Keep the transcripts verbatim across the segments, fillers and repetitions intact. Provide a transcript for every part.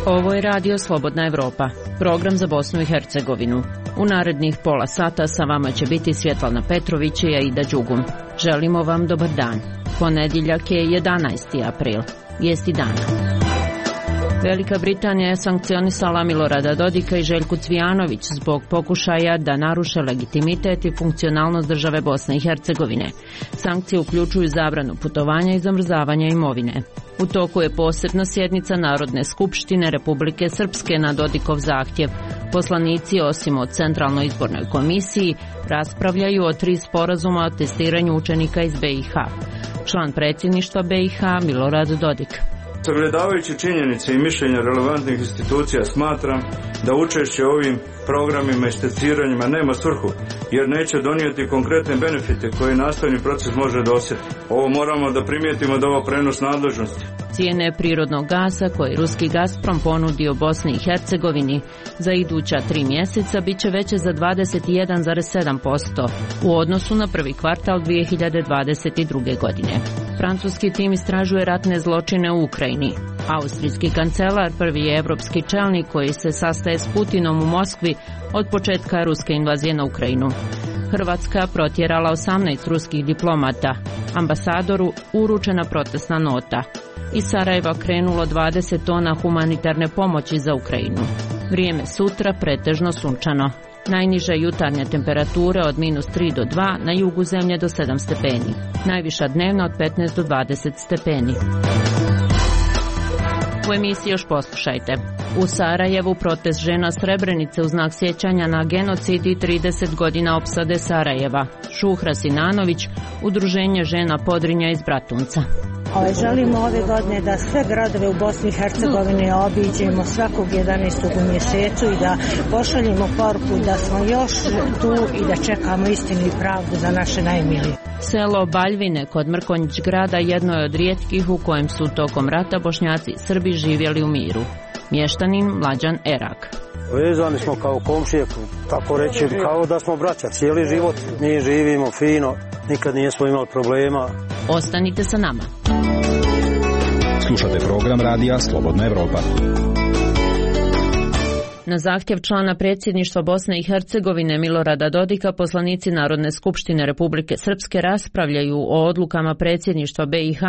Ovo je Radio Slobodna Evropa, program za Bosnu i Hercegovinu. U narednih pola sata sa vama će biti Svjetlana Petrović i Aida Đugum. Želimo vam dobar dan. Ponedjeljak je jedanaesti april. Vijesti dana. Velika Britanija je sankcionisala Milorada Dodika i Željku Cvijanović zbog pokušaja da naruše legitimitet i funkcionalnost države Bosne i Hercegovine. Sankcije uključuju zabranu putovanja i zamrzavanja imovine. U toku je posebna sjednica Narodne skupštine Republike Srpske na Dodikov zahtjev. Poslanici, osim o Centralnoj izbornoj komisiji, raspravljaju o tri sporazuma o testiranju učenika iz B i H. Član predsjedništva B i H Milorad Dodik. Sagledavajući činjenice i mišljenja relevantnih institucija, smatram da učešće u ovim programima i testiranjima nema svrhu, jer neće donijeti konkretne benefite koje nastavni proces može dosjetiti. Ovo moramo da primijetimo da ovo prenos nadležnosti. Cijene prirodnog gasa koje ruski Gazprom ponudio Bosni i Hercegovini za iduća tri mjeseca bit će veće za dvadeset jedan zarez sedam posto u odnosu na prvi kvartal dvije hiljade dvadeset druge. godine. Francuski tim istražuje ratne zločine u Ukrajini. Austrijski kancelar, prvi je evropski čelnik koji se sastaje s Putinom u Moskvi od početka ruske invazije na Ukrajinu. Hrvatska protjerala osamnaest ruskih diplomata. Ambasadoru uručena protestna nota. Iz Sarajeva krenulo dvadeset tona humanitarne pomoći za Ukrajinu. Vrijeme sutra pretežno sunčano. Najniža jutarnja temperatura od minus tri do dva, na jugu zemlje do sedam stepeni. Najviša dnevna od petnaest do dvadeset stepeni. U emisiji još poslušajte. U Sarajevu protest žena Srebrenice u znak sjećanja na genocid i trideset godina opsade Sarajeva. Šuhra Sinanović, Udruženje žena Podrinja iz Bratunca. Ovaj, želimo ove godine da sve gradove u Bosni i Hercegovini obiđemo svakog jedanaestog u mjesecu i da pošaljemo poruku da smo još tu i da čekamo istinu i pravdu za naše najmilije. Selo Baljvine kod Mrkonjić grada jedno je od rijetkih u kojem su tokom rata Bošnjaci i Srbi živjeli u miru. Mještanin Mlađan Erak. Vezani smo kao komšije, tako reći, kao da smo braća. Cijeli život mi živimo fino, nikad nismo imali problema. Ostanite sa nama. Slušate program radija Slobodna Evropa. Na zahtjev člana predsjedništva Bosne i Hercegovine Milorada Dodika, poslanici Narodne skupštine Republike Srpske raspravljaju o odlukama predsjedništva B i H,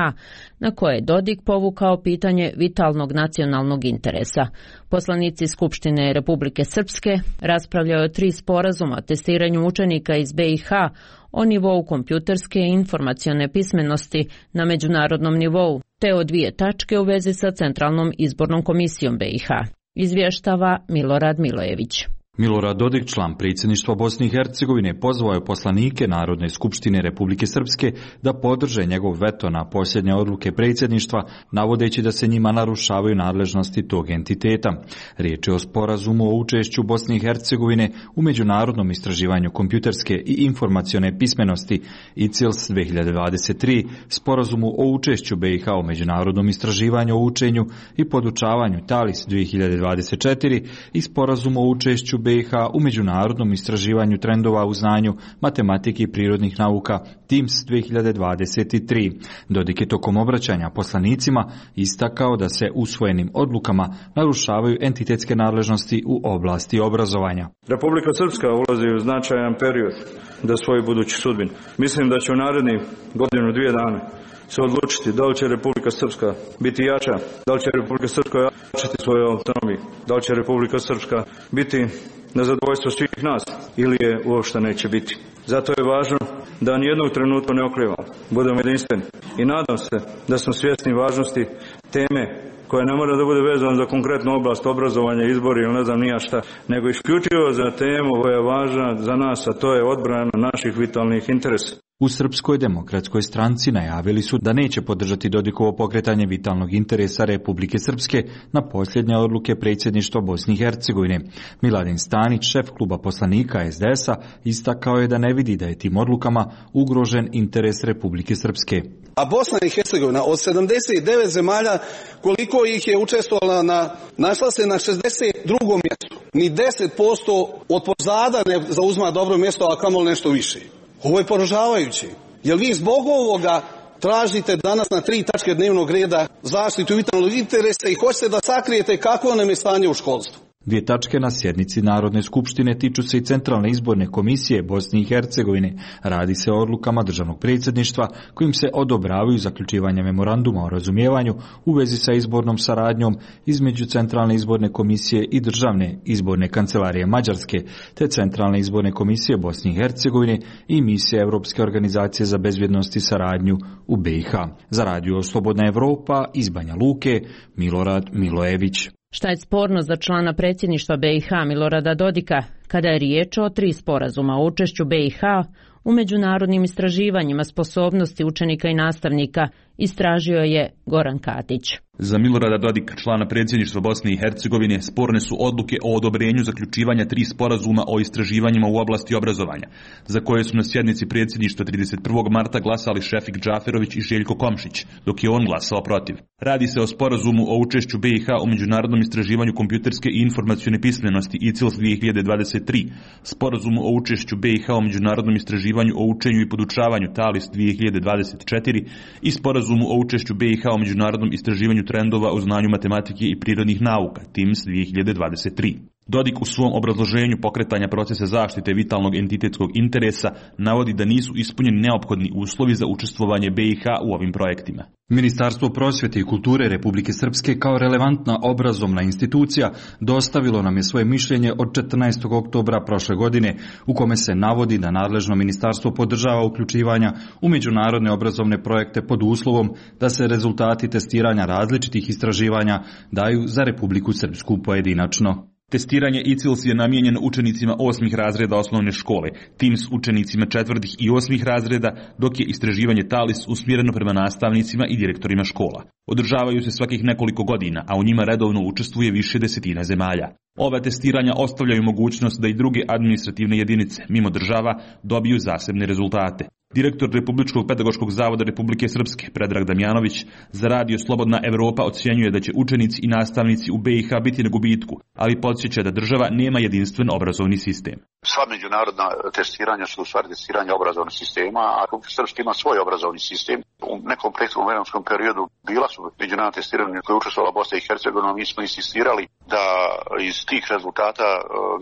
na koje je Dodik povukao pitanje vitalnog nacionalnog interesa. Poslanici Skupštine Republike Srpske raspravljaju o tri sporazuma o testiranju učenika iz B i H o nivou kompjuterske i informacione pismenosti na međunarodnom nivou, te o dvije tačke u vezi sa Centralnom izbornom komisijom B i H. Izvještava Milorad Milojević. Milorad Dodik, član predsjedništva Bosne i Hercegovine, pozvao je poslanike Narodne skupštine Republike Srpske da podrže njegov veto na posljednje odluke predsjedništva, navodeći da se njima narušavaju nadležnosti tog entiteta. Riječ je o sporazumu o učešću Bosne i Hercegovine u međunarodnom istraživanju kompjuterske i informacione pismenosti I C I L S dvije hiljade dvadeset tri, sporazumu o učešću B i H u međunarodnom istraživanju o učenju i podučavanju T A L I S dvije hiljade dvadeset četiri i sporazumu o učešću B i H u međunarodnom istraživanju trendova u znanju, matematike i prirodnih nauka T I M S dvije hiljade dvadeset tri. Dodik je tokom obraćanja poslanicima istakao da se usvojenim odlukama narušavaju entitetske nadležnosti u oblasti obrazovanja. Republika Srpska ulazi u značajan period da svoju buduću sudbinu. Mislim da će u narednih godinu, dvije dana se odlučiti da li će Republika Srpska biti jača, da li će Republika Srpska jačati svoju autonomiju, da li će Republika Srpska biti na zadovoljstvo svih nas ili je uopšte neće biti. Zato je važno da nijednog trenutka ne oklevamo, budemo jedinstveni i nadam se da smo svjesni važnosti teme koja ne mora da bude vezana za konkretnu oblast obrazovanja, izbori ili ne znam nija šta, nego isključivo za temu koja je važna za nas, a to je odbrana naših vitalnih interesa. U Srpskoj demokratskoj stranci najavili su da neće podržati Dodikovo pokretanje vitalnog interesa Republike Srpske na posljednje odluke predsjedništva Bosne i Hercegovine. Miladin Stanić, šef kluba poslanika S D S-a, istakao je da ne vidi da je tim odlukama ugrožen interes Republike Srpske. A Bosna i Hercegovina od sedamdeset devet zemalja, koliko ih je učestvovala, na, našla se na šezdeset drugom mjestu. Ni deset posto od pozada ne zauzma dobro mjesto, a kamoli nešto više. Ovo je poražavajuće. Jer vi zbog ovoga tražite danas na tri tačke dnevnog reda zaštitu vitalnog interesa i hoćete da sakrijete kako nam je stanje u školstvu. Dvije tačke na sjednici Narodne skupštine tiču se i Centralne izborne komisije Bosne i Hercegovine. Radi se o odlukama državnog predsjedništva kojim se odobravaju zaključivanje memoranduma o razumijevanju u vezi sa izbornom saradnjom između Centralne izborne komisije i Državne izborne kancelarije Mađarske, te Centralne izborne komisije Bosne i Hercegovine i misije Europske organizacije za bezbjednost i saradnju u B i H. Za radio Slobodna Evropa iz Banja Luke, Milorad Milojević. Šta je sporno za člana predsjedništva B i H Milorada Dodika kada je riječ o tri sporazuma o učešću B i H u međunarodnim istraživanjima sposobnosti učenika i nastavnika, istražio je Goran Katić. Za Milorada Dodika, člana predsjedništva Bosne i Hercegovine, sporne su odluke o odobrenju zaključivanja tri sporazuma o istraživanjima u oblasti obrazovanja, za koje su na sjednici predsjedništva trideset prvog marta glasali Šefik Džaferović i Željko Komšić, dok je on glasao protiv. Radi se o sporazumu o učešću B i H u međunarodnom istraživanju kompjuterske i informacione pismenosti I C I L S dvije hiljade dvadeset tri, sporazumu o učešću B i H u međunarodnom istraživanju o učenju i podučavanju T A L I S dvije hiljade dvadeset četiri i sporazumu o učešću B i H u međunarodnom istraživanju trendova u znanju matematike i prirodnih nauka T I M S dvije hiljade dvadeset tri. Dodik u svom obrazloženju pokretanja procesa zaštite vitalnog entitetskog interesa navodi da nisu ispunjeni neophodni uslovi za učestvovanje B i H u ovim projektima. Ministarstvo prosvjete i kulture Republike Srpske kao relevantna obrazovna institucija dostavilo nam je svoje mišljenje od četrnaestog oktobra prošle godine u kome se navodi da nadležno ministarstvo podržava uključivanja u međunarodne obrazovne projekte pod uslovom da se rezultati testiranja različitih istraživanja daju za Republiku Srpsku pojedinačno. Testiranje I C I L S je namijenjen učenicima osmih razreda osnovne škole, T I M S učenicima četvrtih i osmih razreda, dok je istraživanje T A L I S usmjereno prema nastavnicima i direktorima škola. Održavaju se svakih nekoliko godina, a u njima redovno učestvuje više desetina zemalja. Ova testiranja ostavljaju mogućnost da i druge administrativne jedinice, mimo država, dobiju zasebne rezultate. Direktor Republičkog pedagoškog zavoda Republike Srpske, Predrag Damjanović, za radio Slobodna Evropa ocjenjuje da će učenici i nastavnici u B i H biti na gubitku, ali podsjeća da država nema jedinstven obrazovni sistem. Sva međunarodna testiranja su u stvari testiranja obrazovnog sistema, a Republika Srpska ima svoj obrazovni sistem. U nekom prethodnom vremenskom periodu bila su međunarodna testiranja koje je učestvovala Bosna i Hercegovina, mi smo insistirali da iz tih rezultata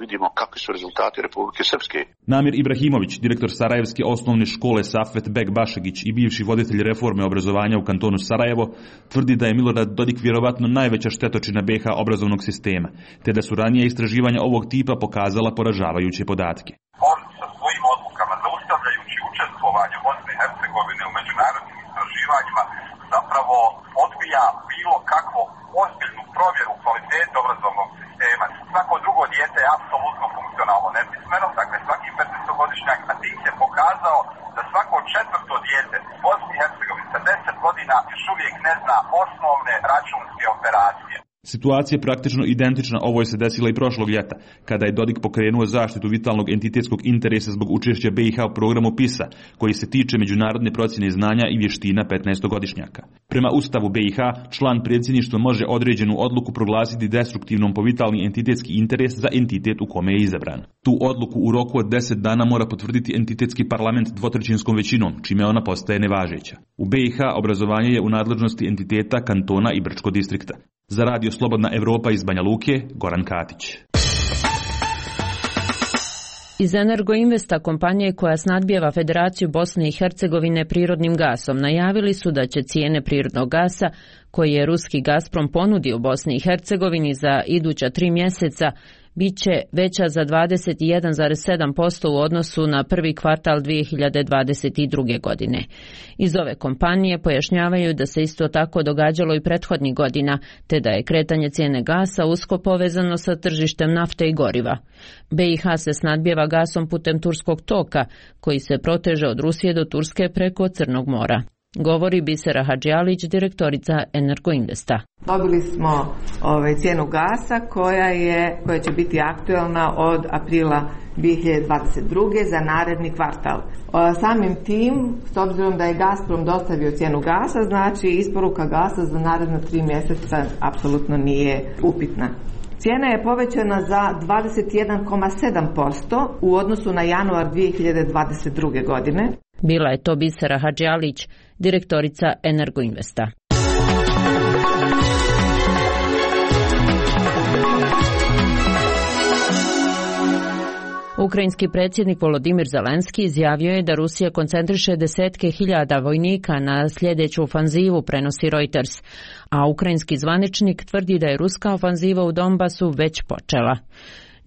vidimo kakvi su rezultati Republike Srpske. Namir Ibrahimović, direktor Sarajevske osnovne škole Safet Bek Bašegić i bivši voditelj reforme obrazovanja u kantonu Sarajevo, tvrdi da je Milorad Dodik vjerovatno najveća štetočina B i H obrazovnog sistema, te da su ranije istraživanja ovog tipa pokazala poražavajuće podatke. On sa svojim odlukama, zaustavljajući učestvovanje Bosne i Hercegovine u međunarodnim istraživanjima, zapravo odbija bilo kakvu ozbiljnu provjeru kvalitete obrazovnog sistema. Svako drugo dijete je apsolutno funkcionalno nepismeno, dakle svaki petnaestogodišnjak, a tim se pokazao da svako četvrto dijete u Bosni i Hercegovini sa deset godina još uvijek ne zna osnovne računske operacije. Situacija je praktično identična ovoj se desila i prošlog ljeta, kada je Dodik pokrenuo zaštitu vitalnog entitetskog interesa zbog učešća B i H u programu PISA, koji se tiče međunarodne procjene znanja i vještina petnaestogodišnjaka. Prema Ustavu B i H, član predsjedništva može određenu odluku proglasiti destruktivnom po vitalni entitetski interes za entitet u kome je izabran. Tu odluku u roku od deset dana mora potvrditi entitetski parlament dvotrećinskom većinom, čime ona postaje nevažeća. U B i H obrazovanje je u nadležnosti entiteta, kantona i Brčko distrikta. Za radio Slobodna Evropa iz Banja Luke, Goran Katić. Iz Energoinvesta, kompanije koja snadbijeva Federaciju Bosne i Hercegovine prirodnim gasom, najavili su da će cijene prirodnog gasa koji je ruski Gazprom ponudio Bosni i Hercegovini za iduća tri mjeseca biće veća za dvadeset jedan zarez sedam posto u odnosu na prvi kvartal dvije hiljade dvadeset druge. godine. Iz ove kompanije pojašnjavaju da se isto tako događalo i prethodnih godina, te da je kretanje cijene gasa usko povezano sa tržištem nafte i goriva. B i H se snadbijeva gasom putem turskog toka, koji se proteže od Rusije do Turske preko Crnog mora. Govori Bisera Hadžijalić, direktorica Energoinvesta. Dobili smo ovaj, cijenu gasa koja, je, koja će biti aktualna od aprila dvije hiljade dvadeset druge. za naredni kvartal. O, samim tim, s obzirom da je Gazprom dostavio cijenu gasa, znači isporuka gasa za naredna tri mjeseca apsolutno nije upitna. Cijena je povećana za dvadeset jedan zarez sedam posto u odnosu na januar dvije hiljade dvadeset druge. godine. Bila je to Bisera Hadžialić, direktorica Energoinvesta. Ukrajinski predsjednik Volodimir Zelenski izjavio je da Rusija koncentriše desetke hiljada vojnika na sljedeću ofanzivu, prenosi Reuters, a ukrajinski zvaničnik tvrdi da je ruska ofanziva u Donbasu već počela.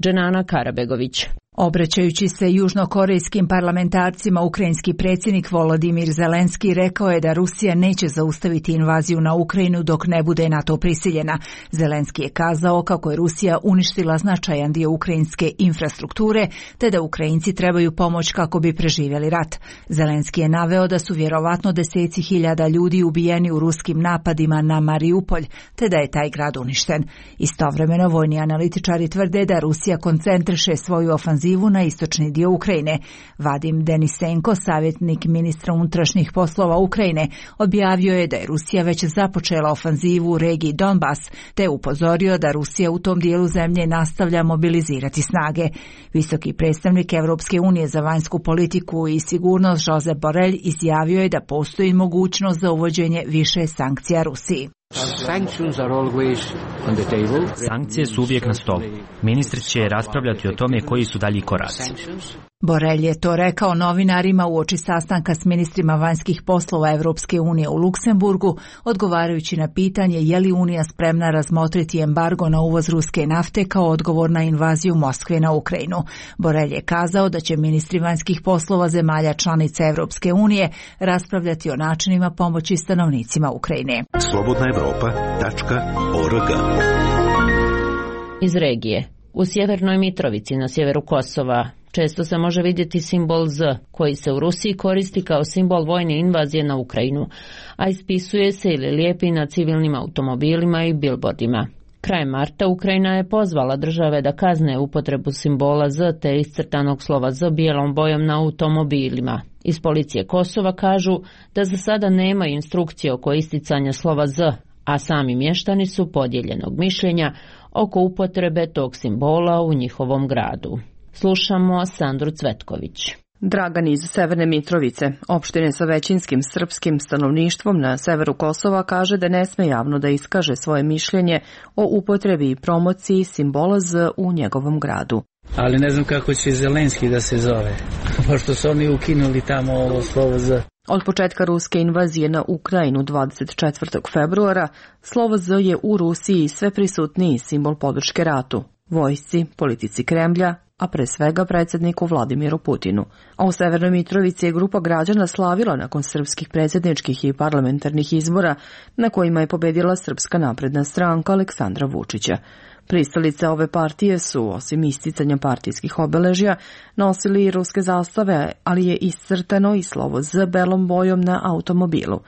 Dženana Karabegović. Obraćajući se južnokorejskim parlamentarcima, ukrajinski predsjednik Volodimir Zelenski rekao je da Rusija neće zaustaviti invaziju na Ukrajinu dok ne bude na to prisiljena. Zelenski je kazao kako je Rusija uništila značajan dio ukrajinske infrastrukture, te da Ukrajinci trebaju pomoć kako bi preživjeli rat. Zelenski je naveo da su vjerovatno deseci hiljada ljudi ubijeni u ruskim napadima na Mariupolj, te da je taj grad uništen. Istovremeno, vojni analitičari tvrde da Rusija koncentriše svoju ofanzivu na istočni dio Ukrajine. Vadim Denisenko, savjetnik ministra unutrašnjih poslova Ukrajine, objavio je da je Rusija već započela ofanzivu u regiji Donbas, te upozorio da Rusija u tom dijelu zemlje nastavlja mobilizirati snage. Visoki predstavnik Europske unije za vanjsku politiku i sigurnost Josep Borrell izjavio je da postoji mogućnost za uvođenje više sankcija Rusiji. Sankcije su uvijek na stolu. Ministri će raspravljati o tome koji su dalji koraci. Borrell je to rekao novinarima uoči sastanka s ministrima vanjskih poslova Europske unije u Luksemburgu, odgovarajući na pitanje je li Unija spremna razmotriti embargo na uvoz ruske nafte kao odgovor na invaziju Moskve na Ukrajinu. Borrell je kazao da će ministri vanjskih poslova zemalja članica Europske unije raspravljati o načinima pomoći stanovnicima Ukrajine. slobodna evropa tačka org. Iz regije. U sjevernoj Mitrovici na sjeveru Kosova često se može vidjeti simbol Z, koji se u Rusiji koristi kao simbol vojne invazije na Ukrajinu, a ispisuje se ili lijepi na civilnim automobilima i bilbordima. Krajem marta Ukrajina je pozvala države da kazne upotrebu simbola Z te iscrtanog slova Z bijelom bojom na automobilima. Iz policije Kosova kažu da za sada nema instrukcije oko isticanja slova Z, a sami mještani su podijeljenog mišljenja oko upotrebe tog simbola u njihovom gradu. Slušamo Sandru Cvetković. Dragan iz Severne Mitrovice, opštine sa većinskim srpskim stanovništvom na severu Kosova, kaže da ne sme javno da iskaže svoje mišljenje o upotrebi i promociji simbola Z u njegovom gradu. Ali ne znam kako će Zelenski da se zove, pošto su oni ukinuli tamo ovo slovo Z. Od početka ruske invazije na Ukrajinu dvadeset četvrtog februara, slovo Z je u Rusiji sve prisutniji simbol podrške ratu, vojsci, politici Kremlja, a pre svega predsjedniku Vladimiru Putinu. A u Severnoj Mitrovici je grupa građana slavila nakon srpskih predsjedničkih i parlamentarnih izbora na kojima je pobedila Srpska napredna stranka Aleksandra Vučića. Pristalice ove partije su, osim isticanja partijskih obeležja, nosili i ruske zastave, ali je iscrtano i slovo Z belom bojom na automobilu.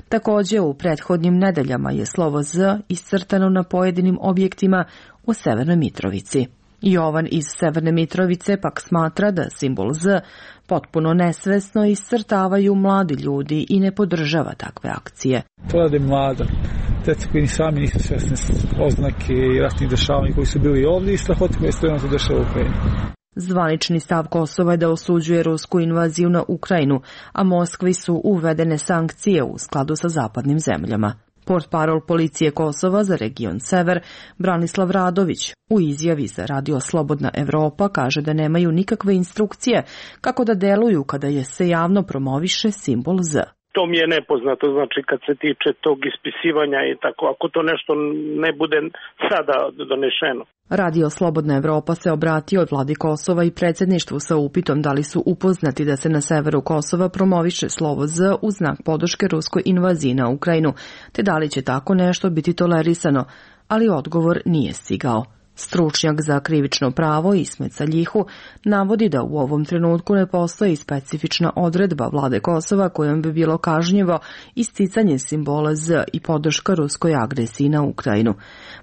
Također, u prethodnim nedeljama je slovo Z iscrtano na pojedinim objektima u Severnoj Mitrovici. Jovan iz Severne Mitrovice pak smatra da simbol Z potpuno nesvesno iscrtavaju mladi ljudi i ne podržava takve akcije. To rade mlada. Djeca koji ni sami nisu svesni oznake i ratnih dešavanja koji su bili ovdje i strahoti koji stojno se dešava u Ukrajini. Zvanični stav Kosova je da osuđuje rusku invaziju na Ukrajinu, a Moskvi su uvedene sankcije u skladu sa zapadnim zemljama. Portparol policije Kosova za region Sever, Branislav Radović, u izjavi za Radio Slobodna Evropa kaže da nemaju nikakve instrukcije kako da deluju kada je se javno promoviše simbol Z. To mi je nepoznato, znači kad se tiče tog ispisivanja i tako, ako to nešto ne bude sada donešeno. Radio Slobodna Evropa se obratio vladi Kosova i predsjedništvu sa upitom da li su upoznati da se na severu Kosova promoviše slovo Z u znak podrške ruskoj invaziji na Ukrajinu, te da li će tako nešto biti tolerisano, ali odgovor nije stigao. Stručnjak za krivično pravo Ismet Saljihu navodi da u ovom trenutku ne postoji specifična odredba vlade Kosova kojom bi bilo kažnjivo isticanje simbola Z i podrška ruskoj agresiji na Ukrajinu.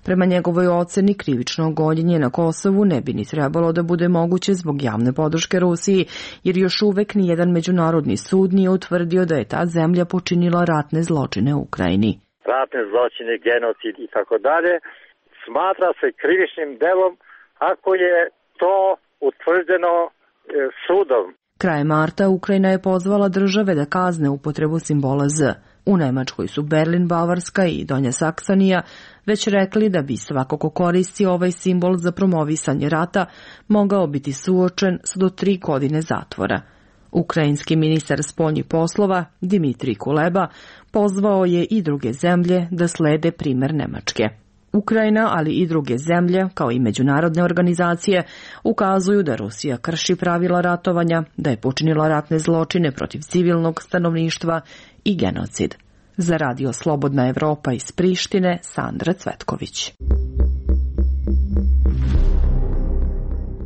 Prema njegovoj oceni, krivično gonjenje na Kosovu ne bi ni trebalo da bude moguće zbog javne podrške Rusiji, jer još uvek nijedan međunarodni sud nije utvrdio da je ta zemlja počinila ratne zločine u Ukrajini. Ratne zločine, genocid i tako dalje smatra se krivičnim delom ako je to utvrđeno sudom. Krajem marta Ukrajina je pozvala države da kazne upotrebu simbola Z. U Nemačkoj su Berlin, Bavarska i Donja Saksonija već rekli da bi svako ko koristi ovaj simbol za promovisanje rata mogao biti suočen s do tri godine zatvora. Ukrajinski ministar spoljnih poslova Dimitrij Kuleba pozvao je i druge zemlje da slede primer Nemačke. Ukrajina, ali i druge zemlje, kao i međunarodne organizacije, ukazuju da Rusija krši pravila ratovanja, da je počinila ratne zločine protiv civilnog stanovništva i genocid. Za radio Slobodna Evropa iz Prištine, Sandra Cvetković.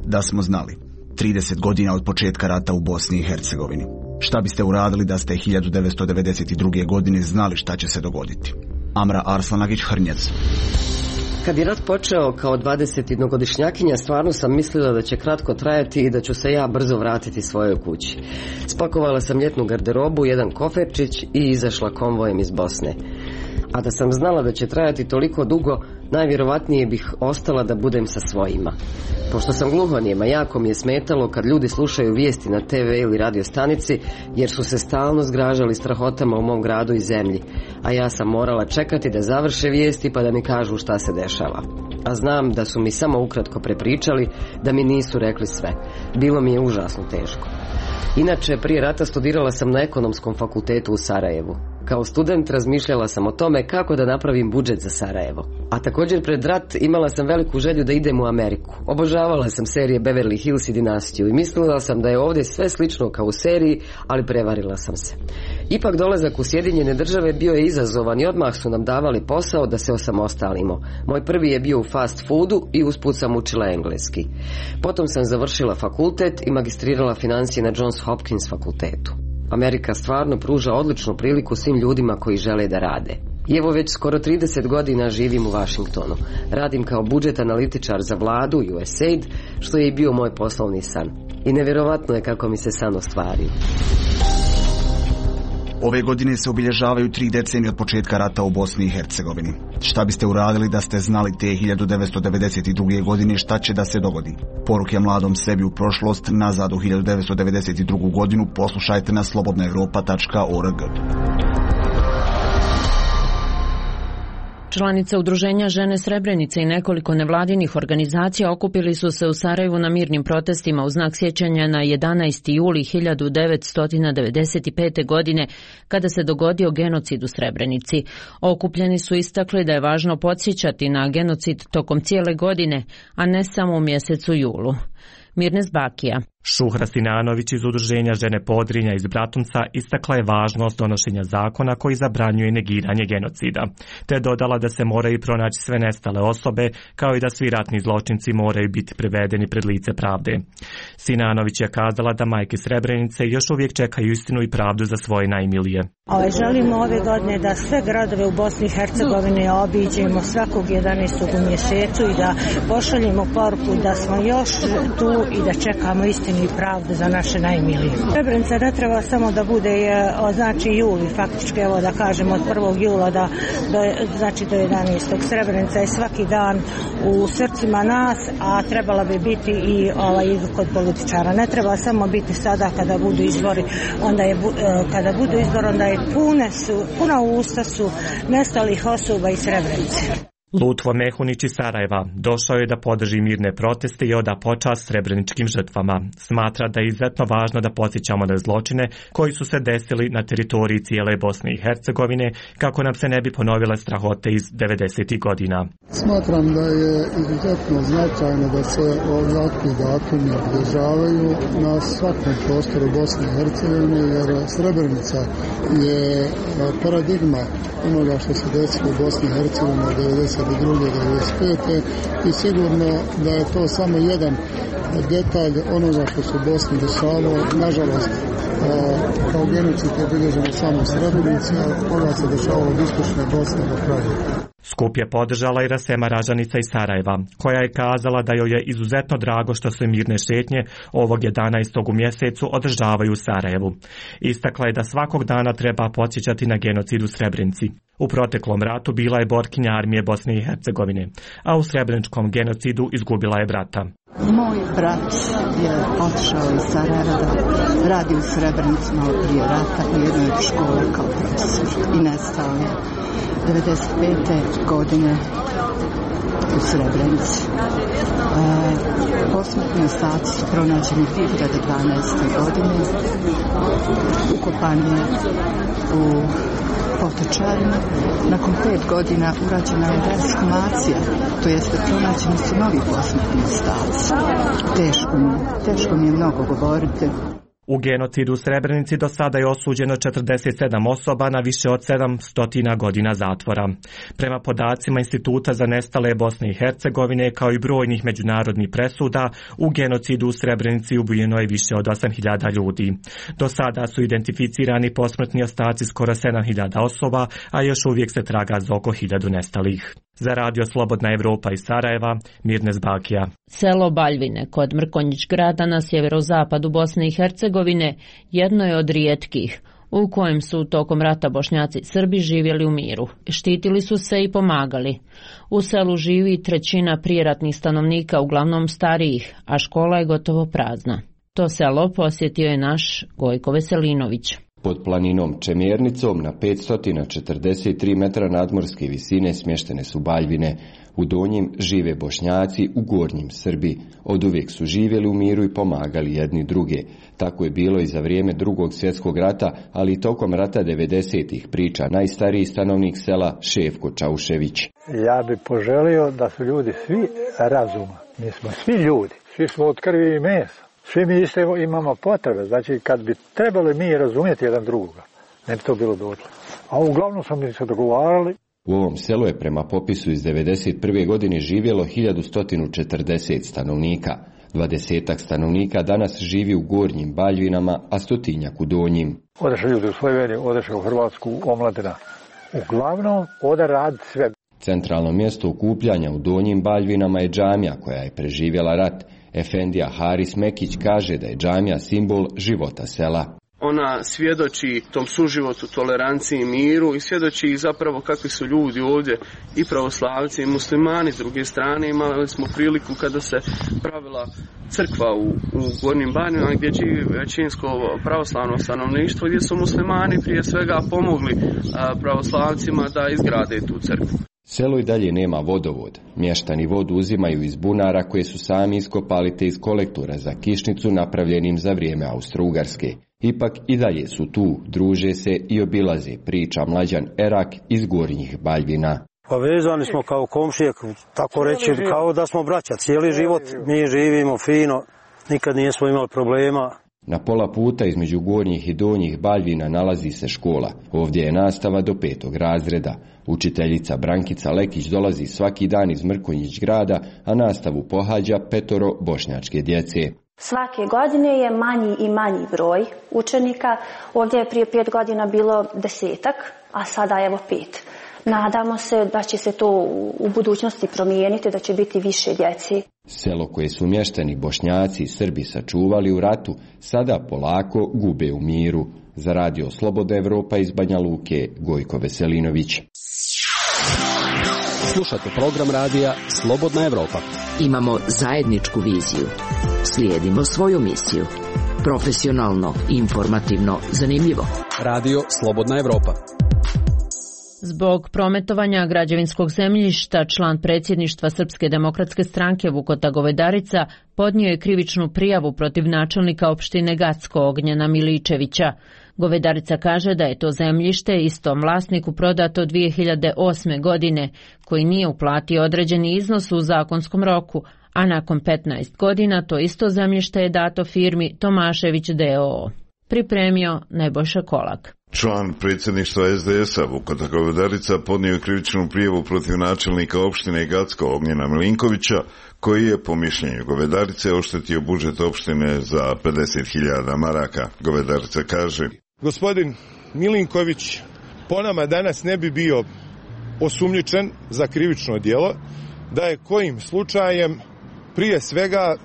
Da smo znali. trideset godina od početka rata u Bosni i Hercegovini. Šta biste uradili da ste hiljadu devetsto devedeset druge. godine znali šta će se dogoditi? Amra Arslanagić-Hrnjac. Kad je rat počeo kao dvadesetjednogodišnjakinja, stvarno sam mislila da će kratko trajati i da ću se ja brzo vratiti svojoj kući. Spakovala sam ljetnu garderobu, jedan koferčić i izašla konvojem iz Bosne. A da sam znala da će trajati toliko dugo, najvjerovatnije bih ostala da budem sa svojima. Pošto sam gluhonijema, jako mi je smetalo kad ljudi slušaju vijesti na te ve ili radio stanici, jer su se stalno zgražali strahotama u mom gradu i zemlji. A ja sam morala čekati da završe vijesti pa da mi kažu šta se dešava. A znam da su mi samo ukratko prepričali, da mi nisu rekli sve. Bilo mi je užasno teško. Inače, prije rata studirala sam na ekonomskom fakultetu u Sarajevu. Kao student razmišljala sam o tome kako da napravim budžet za Sarajevo. A također pred rat imala sam veliku želju da idem u Ameriku. Obožavala sam serije Beverly Hills i Dinastiju i mislila sam da je ovdje sve slično kao u seriji, ali prevarila sam se. Ipak dolazak u Sjedinjene Države bio je izazovan i odmah su nam davali posao da se osamostalimo. Moj prvi je bio u fast foodu i usput sam učila engleski. Potom sam završila fakultet i magistrirala financije na Johns Hopkins fakultetu. Amerika stvarno pruža odličnu priliku svim ljudima koji žele da rade. I evo već skoro trideset godina živim u Washingtonu. Radim kao budžet analitičar za vladu U S A I D, što je i bio moj poslovni san. I nevjerovatno je kako mi se san ostvario. Ove godine se obilježavaju tri decenije od početka rata u Bosni i Hercegovini. Šta biste uradili da ste znali te hiljadu devetsto devedeset druge. godine šta će da se dogodi? Poruke mladom sebi u prošlost, nazad u hiljadu devetsto devedeset drugu. godinu, poslušajte na slobodna europa tačka org. Članice Udruženja Žene Srebrenice i nekoliko nevladinih organizacija okupili su se u Sarajevu na mirnim protestima u znak sjećanja na jedanaesti juli hiljadu devetsto devedeset pete. godine kada se dogodio genocid u Srebrenici. Okupljeni su istakli da je važno podsjećati na genocid tokom cijele godine, a ne samo u mjesecu julu. Mirnes Bakija. Šuhra Sinanović iz Udruženja Žene Podrinja iz Bratunca istakla je važnost donošenja zakona koji zabranjuje negiranje genocida, te dodala da se moraju pronaći sve nestale osobe, kao i da svi ratni zločinci moraju biti privedeni pred lice pravde. Sinanović je kazala da majke Srebrenice još uvijek čekaju istinu i pravdu za svoje najmilije. Ove, želimo ove godine da sve gradove u Bosni i Hercegovini obiđemo svakog jedanaestog u mjesecu i da pošaljemo poruku da smo još tu i da čekamo istinu i pravdu za naše najmilije. Srebrenica ne treba samo da bude znači juli, faktički evo da kažemo od prvog jula da, do, znači do jedanaestog. Srebrenica je svaki dan u srcima nas, a trebala bi biti i ovaj, kod političara. Ne treba samo biti sada kada budu izbori, onda je, kada budu izbori, onda je pune su, puna usta su nestalih osoba iz Srebrenice. Lutvo Mehunić iz Sarajeva došao je da podrži mirne proteste i oda počast srebreničkim žrtvama. Smatra da je izuzetno važno da podsjećamo na zločine koji su se desili na teritoriji cijele Bosne i Hercegovine, kako nam se ne bi ponovile strahote iz devedesetih godina. Smatram da je izuzetno značajno da se ovakvi datumi obilježavaju na svakom prostoru Bosne i Hercegovine, jer Srebrenica je paradigma onoga što se desilo u Bosni i Hercegovini od devedeset druge. do devedeset pete. i sigurno da je to samo jedan detalj onoga što se u Bosni dešavalo. Nažalost, kao genocid je obilježeno samo u Srebrenici, a koga se dešavalo od istočne Bosne do kraja. Skup je podržala i Rasema Ražanica iz Sarajeva, koja je kazala da joj je izuzetno drago što se mirne šetnje ovog jedanaestog u mjesecu održavaju u Sarajevu. Istakla je da svakog dana treba podsjećati na genocid u Srebrenici. U proteklom ratu bila je borkinja armije Bosne i Hercegovine, a u srebreničkom genocidu izgubila je brata. Moj brat je otišao iz Sarajeva da radi u Srebrenici malo prije rata u jednoj školi kao profesor i nestao je devedeset pete godine u Srebrenici. E, posmrtni ostaci su pronađeni dvije hiljade dvanaeste. godine. Ukopan je u Potočarima. Nakon pet godina urađena je rekshumacija, to jeste pronađeni su novi posmrtni ostaci. Teško mi, teško mi je mnogo govoriti. U genocidu u Srebrenici do sada je osuđeno četrdeset sedam osoba na više od sedamsto godina zatvora. Prema podacima Instituta za nestale Bosne i Hercegovine, kao i brojnih međunarodnih presuda, u genocidu u Srebrenici ubijeno je više od osam hiljada ljudi. Do sada su identificirani posmrtni ostaci skoro sedam hiljada osoba, a još uvijek se traga za oko hiljadu nestalih. Za radio Slobodna Evropa iz Sarajeva, Mirnes Bakija. Selo Baljvine kod Mrkonjić grada na sjeverozapadu Bosne i Hercegovine jedno je od rijetkih u kojem su tokom rata Bošnjaci i Srbi živjeli u miru. Štitili su se i pomagali. U selu živi trećina prijeratnih stanovnika, uglavnom starijih, a škola je gotovo prazna. To selo posjetio je naš Gojko Veselinović. Pod planinom Čemjernicom na petsto četrdeset tri metra nadmorske visine smještene su Baljvine. U donjim žive Bošnjaci, u gornjim Srbi. Od uvijek su živjeli u miru i pomagali jedni druge. Tako je bilo i za vrijeme Drugog svjetskog rata, ali i tokom rata devedesetih, priča najstariji stanovnik sela Šefko Čaušević. Ja bih poželio da su ljudi svi razuma. Mi smo svi ljudi, svi smo od krvi i mesa. Svi mi isto imamo potrebe, znači kad bi trebali mi razumjeti jedan drugoga, ne bi to bilo dotle. A uglavnom smo mi se dogovarali. U ovom selu je prema popisu iz devedeset prve. godine živjelo hiljadu sto četrdeset stanovnika. Dvadesetak stanovnika danas živi u gornjim Baljvinama, a stotinjak u donjim. Odeše ljudi u Sloveniju, odeše u Hrvatsku, omladina. Uglavnom ode rad sve. Centralno mjesto okupljanja u donjim Baljvinama je džamija koja je preživjela rat. Efendija Haris Mekić kaže da je džamija simbol života sela. Ona svjedoči tom suživotu, toleranciji i miru i svjedoči zapravo kakvi su ljudi ovdje i pravoslavci i muslimani. S druge strane imali smo priliku kada se pravila crkva u, u Gornjim Baljvinama gdje živi većinsko pravoslavno stanovništvo, gdje su muslimani prije svega pomogli a, pravoslavcima da izgrade tu crkvu. Selo i dalje nema vodovod. Mještani vodu uzimaju iz bunara koje su sami iskopali te iz kolektora za kišnicu napravljenim za vrijeme Austro-Ugarske. Ipak i dalje su tu, druže se i obilaze, priča Mlađan Erak iz Gornjih Baljvina. Povezani smo kao komšije, tako reći, kao da smo braća. Cijeli život mi živimo fino, nikad nismo imali problema. Na pola puta između Gornjih i Donjih Baljvina nalazi se škola. Ovdje je nastava do petog razreda. Učiteljica Brankica Lekić dolazi svaki dan iz Mrkonjić grada, a nastavu pohađa petoro bošnjačke djece. Svake godine je manji i manji broj učenika. Ovdje je prije pet godina bilo desetak, a sada evo pet. Nadamo se da će se to u budućnosti promijeniti, da će biti više djeci. Selo koje su mještani Bošnjaci i Srbi sačuvali u ratu, sada polako gube u miru. Za radio Slobodna Evropa iz Banja Luke, Gojko Veselinović. Slušate program radija Slobodna Evropa. Imamo zajedničku viziju. Slijedimo svoju misiju. Profesionalno, informativno, zanimljivo. Radio Slobodna Evropa. Zbog prometovanja građevinskog zemljišta, član predsjedništva Srpske demokratske stranke Vukota Govedarica podnio je krivičnu prijavu protiv načelnika opštine Gacko Ognjena Miličevića. Govedarica kaže da je to zemljište istom vlasniku prodato dvije hiljade osme. godine, koji nije uplatio određeni iznos u zakonskom roku, a nakon petnaest godina to isto zemljište je dato firmi Tomašević d o o. Pripremio Nebojša Kolak. Član predsjedništva es de es a Vukota Govedarica podnio krivičnu prijavu protiv načelnika opštine Gacko Ognjena Milinkovića, koji je po mišljenju Govedarice oštetio budžet opštine za pedeset hiljada maraka. Govedarica kaže: Gospodin Milinković po nama danas ne bi bio osumnjičen za krivično djelo da je kojim slučajem prije svega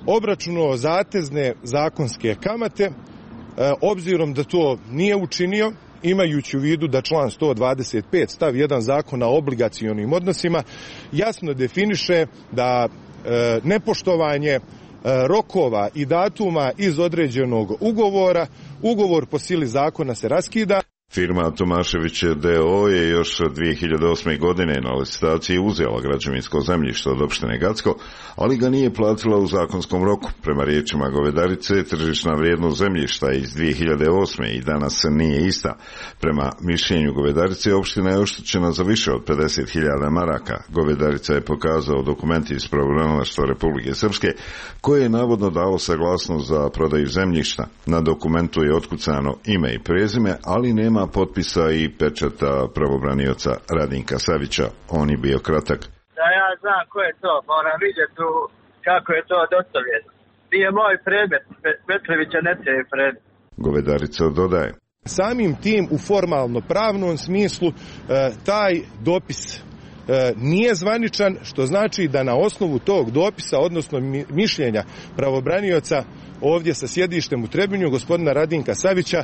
obračunao zatezne zakonske kamate, obzirom da to nije učinio, imajući u vidu da član sto dvadeset pet stav jedan Zakona o obligacionim odnosima jasno definiše da nepoštovanje rokova i datuma iz određenog ugovora, ugovor po sili zakona se raskida. Firma Tomašević d o o je još dvije hiljade osme. godine na licitaciji uzela građevinsko zemljište od opštine Gacko, ali ga nije platila u zakonskom roku. Prema riječima govedarice, tržišna vrijednost zemljišta iz dvije hiljade osme. i danas nije ista. Prema mišljenju govedarice, opština je oštećena za više od pedeset hiljada maraka. Govedarica je pokazao dokumenti iz pravobranilaštva Republike Srpske, koje je navodno dalo saglasnost za prodaju zemljišta. Na dokumentu je otkucano ime i prezime, ali nema potpisa i pečata pravobranioca Radinka Savića. On je bio kratak. Da ja znam ko je to, moram vidjeti tu kako je to dostavljeno. Nije moj predmet, Petrovića ne je predmet. Govedarica dodaje. Samim tim u formalno pravnom smislu taj dopis nije zvaničan, što znači da na osnovu tog dopisa, odnosno mišljenja pravobranioca ovdje sa sjedištem u Trebinju, gospodina Radinka Savića,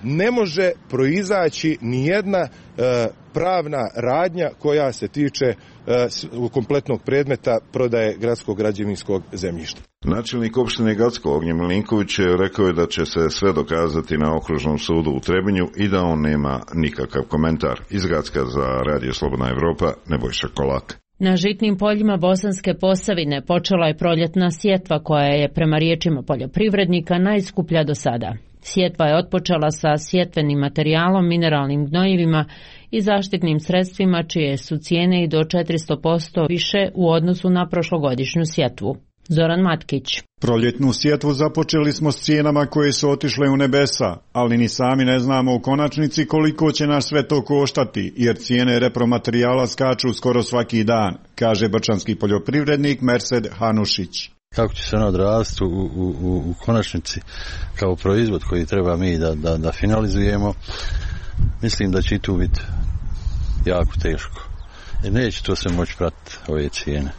ne može proizaći nijedna pravna radnja koja se tiče kompletnog predmeta prodaje gradskog građevinskog zemljišta. Načelnik opštine Gacko Ognjen Milinković rekao je da će se sve dokazati na okružnom sudu u Trebinju i da on nema nikakav komentar. Iz Gacka za Radio Slobodna Evropa, Nebojša Kolak. Na žitnim poljima Bosanske Posavine počela je proljetna sjetva koja je prema riječima poljoprivrednika najskuplja do sada. Sjetva je otpočela sa sjetvenim materijalom, mineralnim gnojivima i zaštitnim sredstvima čije su cijene i do četiristo posto više u odnosu na prošlogodišnju sjetvu. Zoran Matkić. Proljetnu sjetvu započeli smo s cijenama koje su otišle u nebesa, ali ni sami ne znamo u konačnici koliko će nas sve to koštati, jer cijene repromaterijala skaču skoro svaki dan, kaže brčanski poljoprivrednik Mersed Hanušić. Kako će se ono odraziti u, u, u konačnici kao proizvod koji treba mi da, da, da finalizujemo, mislim da će i tu biti jako teško. Jer neće to se moći pratiti ove cijene.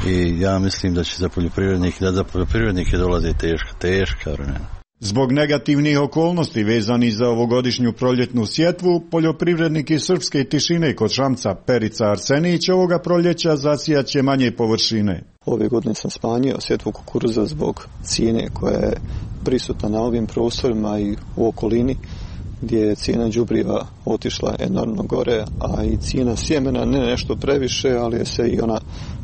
I ja mislim da će za poljoprivrednike, da za poljoprivrednike dolaze teška, teška vremena. Zbog negativnih okolnosti vezani za ovogodišnju proljetnu sjetvu, poljoprivrednik iz srpske Tišine kod Šamca Perica Arsenić ovoga proljeća zasijaće manje površine. Ove godine sam smanjio sjetvu kukuruza zbog cijene koja je prisutna na ovim prostorima i u okolini, gdje je cijena đubriva otišla enormno gore, a i cijena sjemena ne nešto previše, ali je se i ona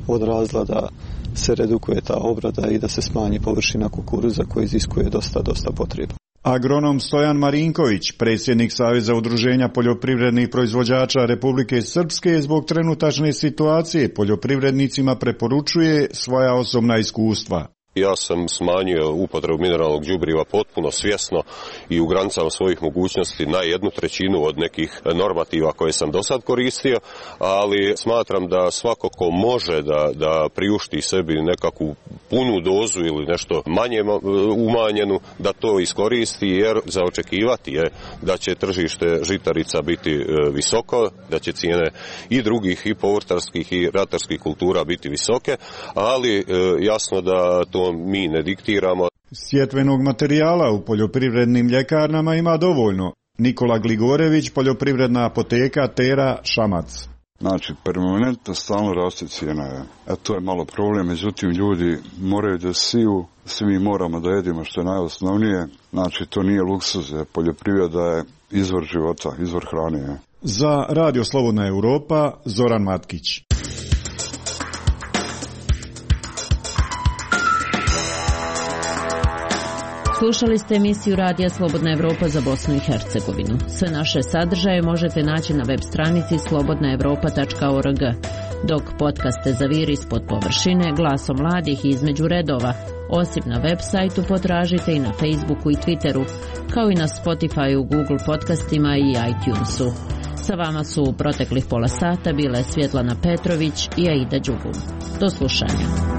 odrazila da se redukuje ta obrada i da se smanji površina kukuruza koja iziskuje dosta, dosta potreba. Agronom Stojan Marinković, predsjednik Saveza udruženja poljoprivrednih proizvođača Republike Srpske, zbog trenutačne situacije poljoprivrednicima preporučuje svoja osobna iskustva. Ja sam smanjio upotrebu mineralnog đubriva potpuno svjesno i u granicama svojih mogućnosti na jednu trećinu od nekih normativa koje sam do sad koristio, ali smatram da svako ko može da, da priušti sebi nekakvu punu dozu ili nešto manje umanjenu, da to iskoristi, jer za očekivati je da će tržište žitarica biti visoko, da će cijene i drugih i povrtarskih i ratarskih kultura biti visoke, ali jasno da to mi ne diktiramo. Sjetvenog materijala u poljoprivrednim ljekarnama ima dovoljno. Nikola Gligorević, poljoprivredna apoteka Tera, Šamac. Znači, permanentno stalno raste cijena. E, to je malo problem, međutim ljudi moraju da siju, svi mi moramo da jedimo što je najosnovnije. Znači, to nije luksuz, poljoprivreda je izvor života, izvor hrane. Za Radio Slobodna Evropa, Zoran Matkić. Slušali ste emisiju Radija Slobodna Evropa za Bosnu i Hercegovinu. Sve naše sadržaje možete naći na web stranici slobodna evropa tačka org. Dok podcaste Zaviri ispod površine, Glasom mladih i Između redova, osim na web sajtu potražite i na Facebooku i Twitteru, kao i na Spotifyu, Google podcastima i iTunesu. Sa vama su u proteklih pola sata bile Svjetlana Petrović i Aida Đugum. Do slušanja.